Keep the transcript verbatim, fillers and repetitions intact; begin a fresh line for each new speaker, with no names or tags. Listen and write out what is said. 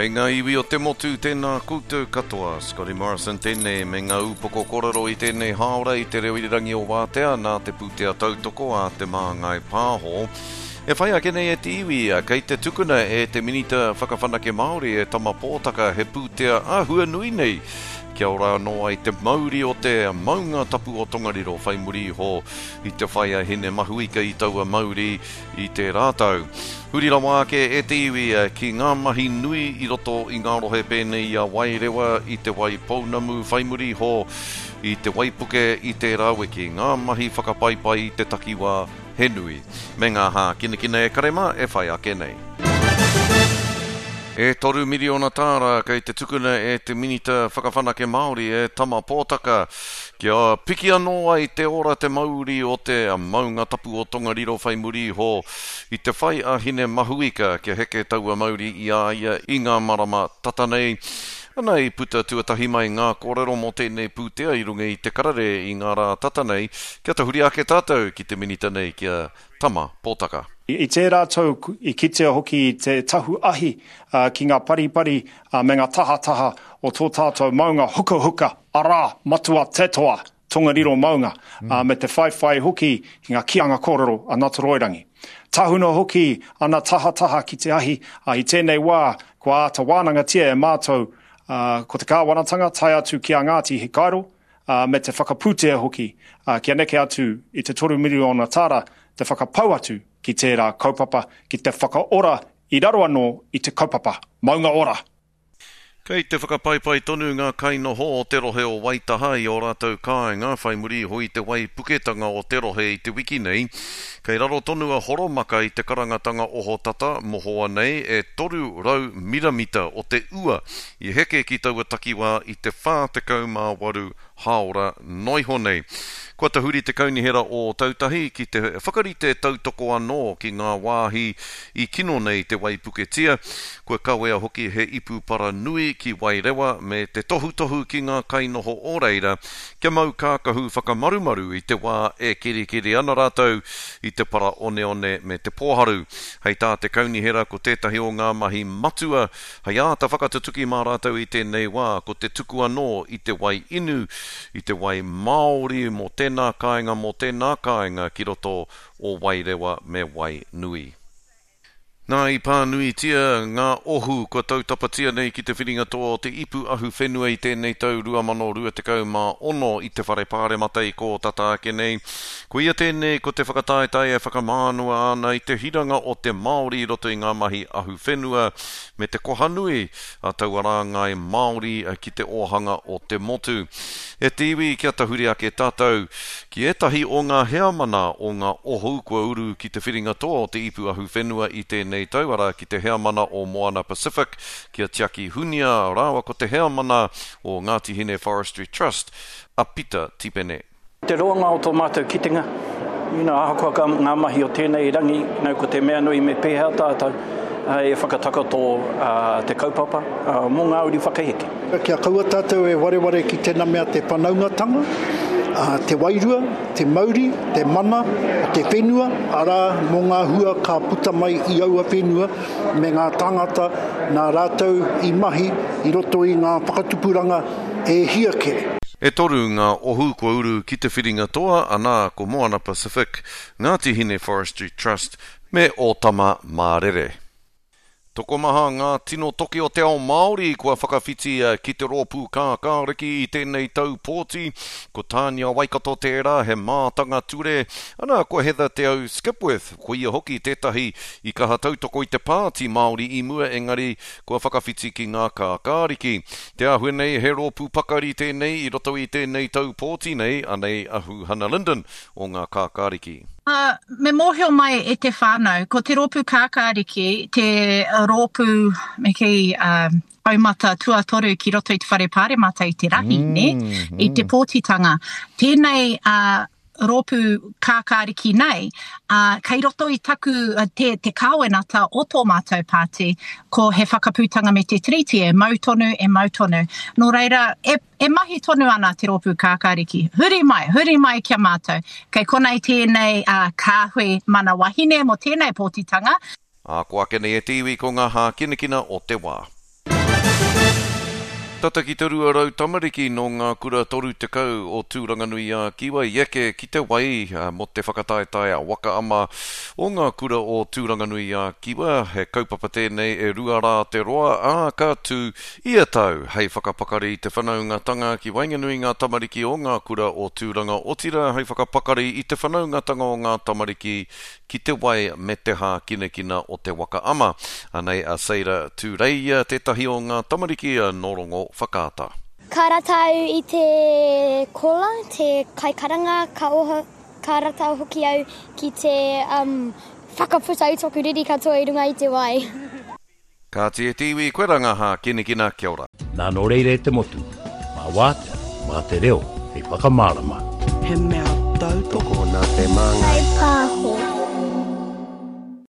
Kei ngā iwi o te motu, tēnā koutou katoa. Scotty Morrison tēnei me ngā upoko kōrero i tēnei hāora i te reo irirangi o Wātea nā te pūtea tautoko a Te Māngai Pāho. E whai ake nei e te iwi, kei te tukuna e te Minita Whakawhanake Māori e Tama Pōtaka he pūtea āhua nui nei kia ora anō ai te mauri o te maunga tapu o Tongariro whai muri iho i te whai a Hine Mahuika i taua mauri i tērā tau. Huri rawa ake e te iwi ki ngā mahi nui i roto i ngā rohe pēnei i a Wairewa, i te Waipounamu whai muri iho i te waipuke i tērā wiki, ngā mahi whakapaipai i te takiwā he nui, me ngā hākinakina e kare mā e whai ake nei. E toru miriona tāra kei te tukuna e te Minita Whakawhanake Māori e Tama Pōtaka kia piki anō ai te ora te mauri o te maunga tapu o Tongariro whai muri iho i te whai a Hine Mahuika kia heke taua mauri i a ia i ngā marama tata nei. Ana i puta tuatahi mai ngā kōrero mō tēnei pūtea i runga i te karere i ngā rā tata nei, kia tahuri ake tātou ki te minita nei ki a Tama Pōtaka.
I tērā tau i kitea hoki te tahu ahi ki ngā paripari me ngā tahataha o tō tātou maunga hukahuka, arā, Matua Te Toa, Tongariro maunga, me te whaiwhai hoki i ngā kīanga kōrero a Natoroirangi. Tahuna hoki ana tahataha ki te ahi, i tēnei wā kua āta wānangatia e mātou ko te kāwanatanga tae atu ki a Ngāti Hikairo, me te whakapūtea hoki kia neke atu i te toru miriona tāra te whakapau atu ki tērā kaupapa, ki te whakaora i raro anō i te kaupapa Maunga Ora.
Kei te whakapaipai tonu ngā kainoho o te rohe o Waitaha i ō rātou kāinga whai muri iho i te waipuketanga o te rohe i te wiki nei. Kei raro tonu a Horomaka i te karangatanga ohotata mohoa nei e toru rau miramita o te ua i heke ki taua takiwā i te whā tekau mā waru hāora noa iho nei. Kua tahuri te kaunihera o Ōtautahi ki te whakarite tautoko anō ki ngā wāhi i kino nei te waipuketia, kua kawea hoki he ipu para nui ki Wairewa me te tohutohu ki ngā kainoho o reira kia mau kākahu whakamarumaru i te wā e kerikeri ana rātou i te para oneone me te pōharu. Hei tā te kaunihera ko tētahi o ngā mahi matua hei āta whakatutuki mā rātou i tēnei wā ko te tuku anō i te wai inu, i te wai Māori mō tēnā kāinga mō tēnā kāinga ki roto o Wairewa me Wainui. Nā, i pānuitia ngā ohu kua tautapatia nei ki te whiringa toa o te ipu ahuwhenua i tēnei tau rua mano rua tekau mā ono i te whare pāremata i kō tata ake nei. Koia tēnei ko te whakataetae e whakamānua ana i te hiranga o te Māori i roto i ngā mahi ahuwhenua me te koha nui a taua rāngai Māori ki te ōhanga o te motu. E te iwi kia tahuri ake tātou ki ētahi o ngā heamana o ngā ohu kua uru ki te whiringa toa o te ipu ahuwhenua i tēnei tau, arā ki te heamana o Moana Pacific, ki a Tiaki Hunia rāua ko te heamana o Ngāti Hine Forestry Trust, a Pita Tipene.
Te roanga o tō mātou kitenga, you know, ahakoa ka ngā mahi o tēnei rangi, you know, ko te mea nui me pēhea tātou e whakatakoto te kaupapa mō ngā uri whakaheke.
Kia kaua tātou e wareware ki tēnā mea te whanaungatanga, te wairua, te mauri, te mana, te whenua, arā mō ngā hua ka puta mai i aua whenua me ngā tāngata nā rātou i mahi i roto i ngā whakatupuranga e hia kē.
E toru ngā ohu kua uru ki te whiringa toa, anā ko Moana Pacific, Ngāti Hine Forestry Trust me Ōtama Mārere. Tokomaha ngā tino toki o te ao Māori kua whakawhiti ki te rōpū kākāriki i tēnei tau pōti. Ko Tānia Waikato tērā, he mātanga ture. Ana, ko Heather Te Au Skipworth, ko ia hoki tētahi i kaha tautoko i te pāti Māori i mua engari kua whakawhiti ki ngā kākāriki. Te āhua nei he rōpū pakari tēnei i roto i tēnei tau pōti nei, anei a Huhana Lyndon o ngā kākāriki.
Uh, me mōhio mai e te whānau, ko te rōpū kākāriki, te rōpū, me kī, um, taumata tuatoru ki roto i te whare pāremata i te rahi, mm, ne? Mm. I te pōtitanga. Tēnei uh, rōpū kākāriki nei, uh, kei roto i taku te, te kāwenata o tō mātou pāti, ko he whakaputanga me te tiriti e mau tonu, e mau tonu. Nō reira, e, e mahi tonu ana te rōpū kākāriki. Huri mai, huri mai kia mātou. Kei konei tēnei uh, kāhui mana wahine mō tēnei pōtitanga.
Ā, ko ake nei e te iwi ko ngā hākinakina o te wā. Tata ki te rua rau tamariki nō ngā kura toru tekau o Tūranganui-a-Kiwa i eke ki te wai mō te whakataetae a Waka Ama o ngā kura o Tūranganui-a-Kiwa. He kaupapa tēnei e rua rā te roa, ā, ka tū ia tau hei whakapakari i te whanaungatanga ki waenganui ngā tamariki o ngā kura o Tūranga, otirā hei whakapakari i te whanaungatanga o ngā tamariki ki te wai me te hākinakina o te Waka Ama. Anei a Seira Tūreia, tētahi o ngā tamariki nō Rongo Whakaata.
Ka rata au i te kola, te kaikaranga, ka oho, ka rata hoki au ki te um, whakaputa i toku riri katoa i runga i te wai.
Kāti e te iwi, koe rā ngā hākinakina, kia ora.
Nā nō reira e te motu, mā wātea, mā te reo, hei whakamārama.
He mea tautoko
nā te māngai.
Kaipāho.